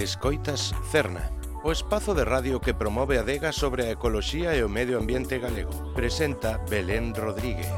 Escoitas Cerna, o espazo de radio que promove a adega sobre a ecoloxía e o medio ambiente galego. Presenta Belén Rodríguez.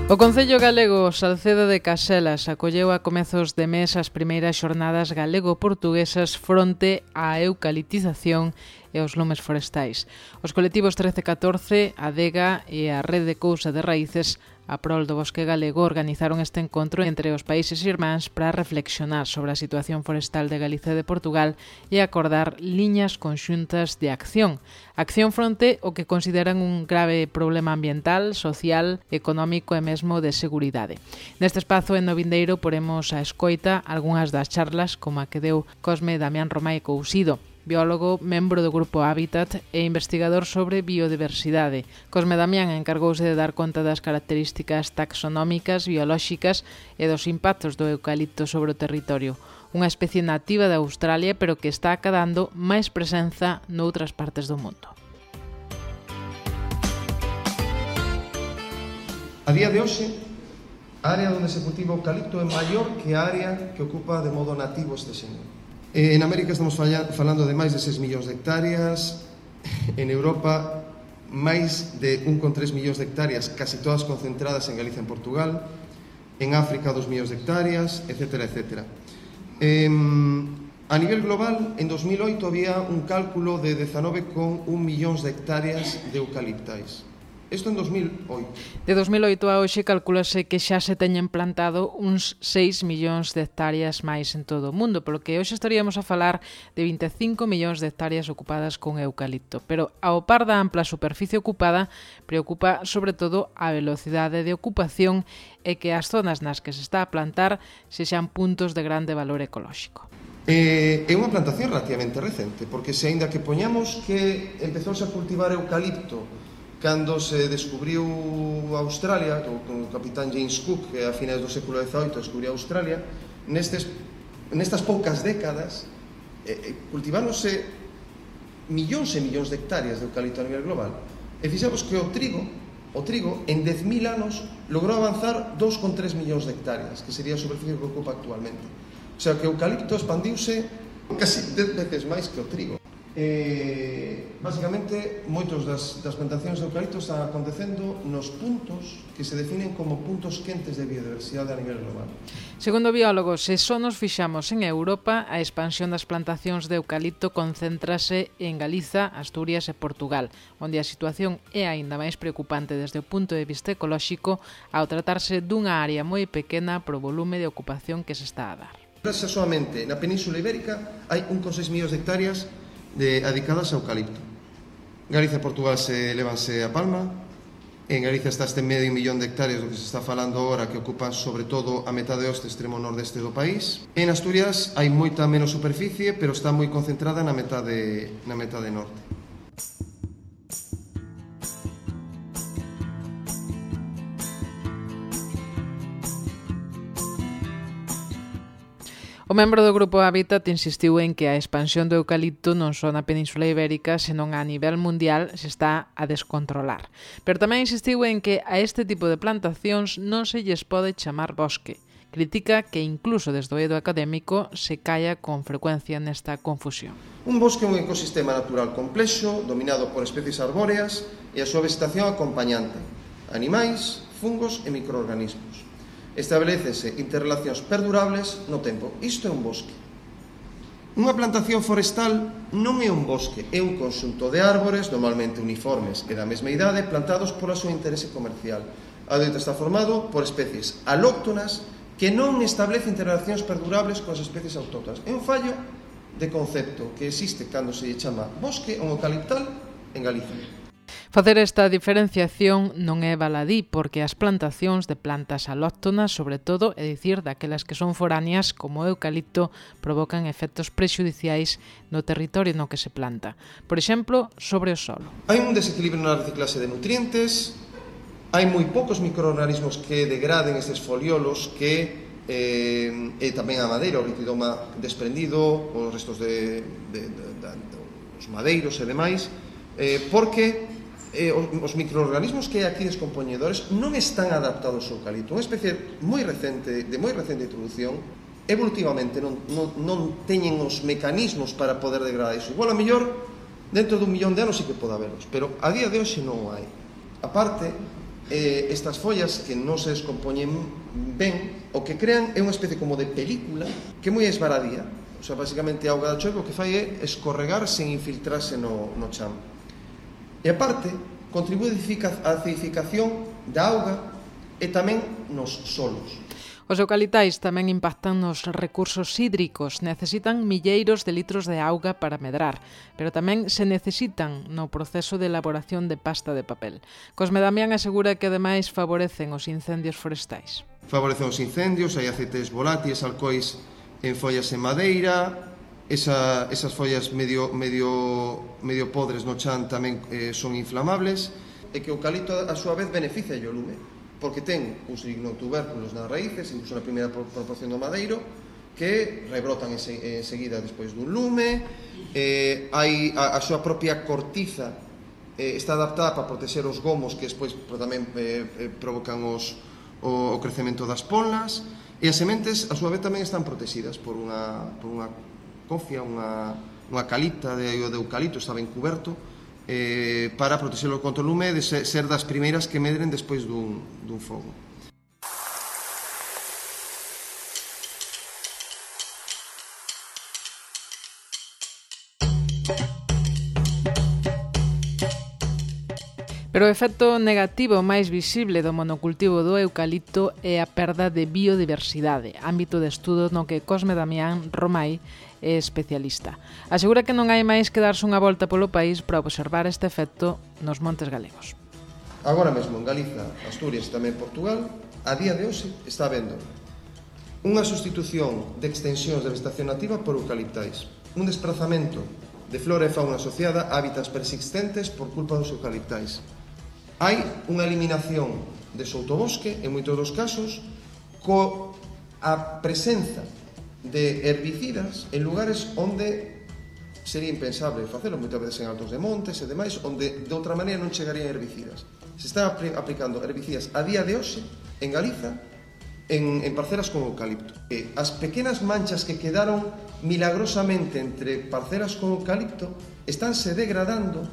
O Concello Galego Salceda de Caselas acolleu a comezos de mes as primeiras xornadas galego-portuguesas fronte á eucaliptización e os lumes forestais. Os colectivos 1314, a Adega e a Rede Cousa de Raíces a prol do bosque galego organizaron este encontro entre os países irmáns para reflexionar sobre a situación forestal de Galicia e de Portugal e acordar liñas conxuntas de acción. Acción fronte o que consideran un grave problema ambiental, social, económico e mesmo de seguridade. Neste espazo en Novindeiro poremos a escoita algunhas das charlas como a que deu Cosme Damián Romai Cousido, biólogo, membro do Grupo Hábitat e investigador sobre biodiversidade. Cosme Damián encargouse de dar conta das características taxonómicas, biolóxicas e dos impactos do eucalipto sobre o territorio. Unha especie nativa de Australia, pero que está acadando máis presenza noutras partes do mundo. A día de hoxe, a área onde se cultiva o eucalipto é maior que a área que ocupa de modo nativo este señor. En América estamos falando de máis de 6 millóns de hectáreas, en Europa máis de 1,3 millóns de hectáreas, casi todas concentradas en Galicia e en Portugal, en África 2 millóns de hectáreas, etc. A nivel global, en 2008 había un cálculo de 19,1 millóns de hectáreas de eucaliptais. Isto en 2008. De 2008 a hoxe calculase que xa se teñen plantado uns 6 millóns de hectáreas máis en todo o mundo, polo que hoxe estaríamos a falar de 25 millóns de hectáreas ocupadas con eucalipto. Pero ao par da ampla superficie ocupada, preocupa sobre todo a velocidade de ocupación e que as zonas nas que se está a plantar sexan puntos de grande valor ecolóxico. É unha plantación relativamente recente, porque se aínda que poñamos que empezouse a cultivar eucalipto cando se descubriu Australia, o capitán James Cook, que a finais do século XVIII descubriu Australia, nestas poucas décadas cultiváronse millóns e millóns de hectáreas de eucalipto a nivel global. E fixemos que o trigo en 10.000 anos logrou avanzar 2,3 millóns de hectáreas, que sería a superficie que ocupa actualmente. O sea, que o eucalipto expandiuse casi 10 veces máis que o trigo. Básicamente, moitos das plantacións de eucalipto están acontecendo nos puntos que se definen como puntos quentes de biodiversidade a nivel global. Segundo biólogos, se só nos fixamos en Europa, a expansión das plantacións de eucalipto concéntrase en Galiza, Asturias e Portugal, onde a situación é aínda máis preocupante desde o punto de vista ecolóxico ao tratarse dunha área moi pequena pro volume de ocupación que se está a dar. Solamente na Península Ibérica hai 1,6 millóns de hectáreas dedicadas ao eucalipto. Galicia e Portugal se levanse a palma. En Galicia está este medio millón de hectáreas do que se está falando agora, que ocupan sobre todo a metade oeste extremo nordeste do país. En Asturias hai moita menos superficie, pero está moi concentrada na metade norte. O membro do Grupo Hábitat insistiu en que a expansión do eucalipto non só na Península Ibérica, senón a nivel mundial se está a descontrolar. Pero tamén insistiu en que a este tipo de plantacións non se lles pode chamar bosque. Critica que incluso desde o eido académico se caia con frecuencia nesta confusión. Un bosque é un ecosistema natural complexo, dominado por especies arbóreas e a súa vegetación acompañante, animais, fungos e microorganismos. Establecese interrelacións perdurables no tempo. Isto é un bosque. Unha plantación forestal non é un bosque, é un conxunto de árbores, normalmente uniformes e da mesma idade, plantados pola súa interese comercial. A doita está formado por especies alóctonas que non establecen interrelacións perdurables coas especies autóctonas. É un fallo de concepto que existe cando se chama bosque ou eucaliptal en Galicia. Facer esta diferenciación non é baladí porque as plantacións de plantas alóctonas, sobre todo, é dicir, daquelas que son foráneas como o eucalipto, provocan efectos prexudiciais no territorio no que se planta. Por exemplo, sobre o solo. Hai un desequilibrio na reciclase de nutrientes, hai moi poucos microorganismos que degraden estes foliolos que e tamén a madeira, o ritidoma desprendido, os restos dos madeiros e demais, porque os microorganismos que hai aquí descompoñedores non están adaptados ao eucalipto. Unha especie de moi recente introducción, evolutivamente non teñen os mecanismos para poder degradar iso. Igual a mellor dentro dun millón de anos sí que pode haberlos, pero a día de hoxe non hai. A parte, estas follas que non se descompoñen ben, o que crean é unha especie como de película que é moi esvaradía. O sea, basicamente a auga da choiva o que fai é escorregar sen infiltrarse no chan. E aparte, contribúe á acidificación da auga e tamén nos solos. Os eucalitais tamén impactan nos recursos hídricos, necesitan milleiros de litros de auga para medrar, pero tamén se necesitan no proceso de elaboración de pasta de papel. Cosme Damián asegura que ademais favorecen os incendios forestais. Favorecen os incendios, hai aceites volátiles, alcohois en follas en madeira, esas follas medio podres no chan tamén son inflamables, e que o eucalipto a súa vez beneficia o lume, porque ten uns lignotubérculos nas raíces, incluso na primeira proporción do madeiro, que rebrotan enseguida despois dun lume. A súa propia cortiza está adaptada para proteger os gomos que despois tamén provocan o crecemento das ponlas, e as sementes a súa vez tamén están protegidas por unha cofia, unha calipta de eucalipto, está ben cuberto, para protexelo contra o lume e de ser das primeiras que medren despois dun fogo. Pero o efecto negativo máis visible do monocultivo do eucalipto é a perda de biodiversidade, ámbito de estudo no que Cosme Damián Romai é especialista. Asegura que non hai máis que darse unha volta polo país para observar este efecto nos montes galegos. Agora mesmo en Galiza, Asturias e tamén Portugal, a día de hoxe está habendo unha sustitución de extensións de vegetación nativa por eucaliptais, un desplazamento de flora e fauna asociada a hábitats persistentes por culpa dos eucaliptais. Hai unha eliminación de sotobosque, en moitos dos casos, coa presenza de herbicidas en lugares onde sería impensable facelo, moitas veces en altos de montes e demais, onde de outra maneira non chegarían herbicidas. Se está aplicando herbicidas a día de hoxe en Galiza en parcelas con eucalipto. As pequenas manchas que quedaron milagrosamente entre parcelas con eucalipto estánse degradando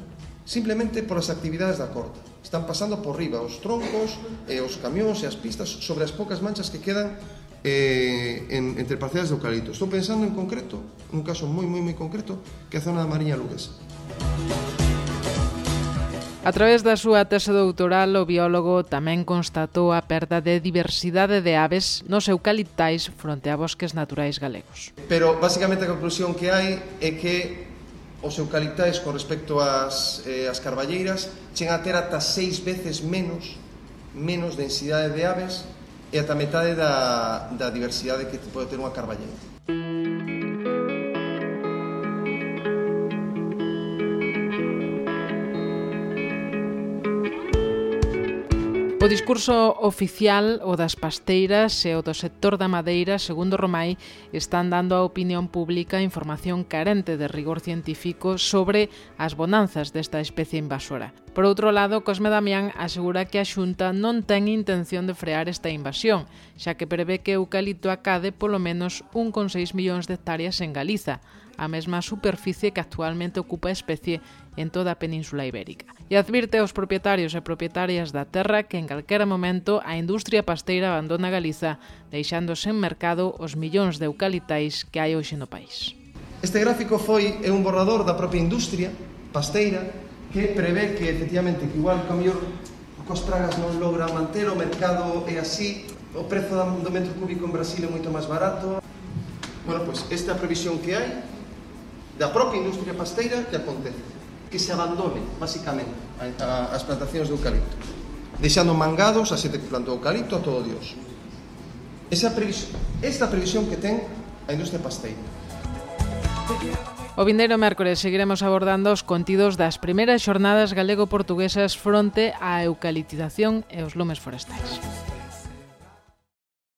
simplemente por as actividades da corta. Están pasando por riba os troncos, os camións e as pistas sobre as poucas manchas que quedan entre parcelas de eucalipto. Estou pensando en concreto, un caso moi concreto, que é a zona da Mariña Luguesa. A través da súa tese doutoral, o biólogo tamén constatou a perda de diversidade de aves nos eucaliptais fronte a bosques naturais galegos. Pero, basicamente, a conclusión que hai é que os eucaliptais con respecto ás carballeiras chegan a ter ata 6 veces menos densidade de aves e ata metade da diversidade que pode ter unha carballeira. O discurso oficial, o das pasteiras e o do sector da madeira, segundo Romai, están dando á opinión pública información carente de rigor científico sobre as bonanzas desta especie invasora. Por outro lado, Cosme Damián asegura que a Xunta non ten intención de frear esta invasión, xa que prevé que o eucalipto acade polo menos 1,6 millóns de hectáreas en Galiza, a mesma superficie que actualmente ocupa a especie en toda a Península Ibérica. E advirte aos propietarios e propietarias da terra que en calquera momento a industria pasteira abandona Galiza, deixando sen mercado os millóns de eucaliptais que hai hoxe no país. Este gráfico é un borrador da propia industria pasteira que prevé que, efectivamente, que igual que o mellor cos pragas non logra manter o mercado e así o prezo do metro cúbico en Brasil é moito máis barato. Bueno, pois esta previsión que hai da propia industria pasteira que acontece, que se abandone, basicamente, as plantacións de eucalipto, deixando mangados a xente que plantou eucalipto a todo Dios. Esta previsión que ten a industria pasteira. O vindeiro mércores seguiremos abordando os contidos das primeiras xornadas galego-portuguesas fronte á eucaliptización e os lumes forestais.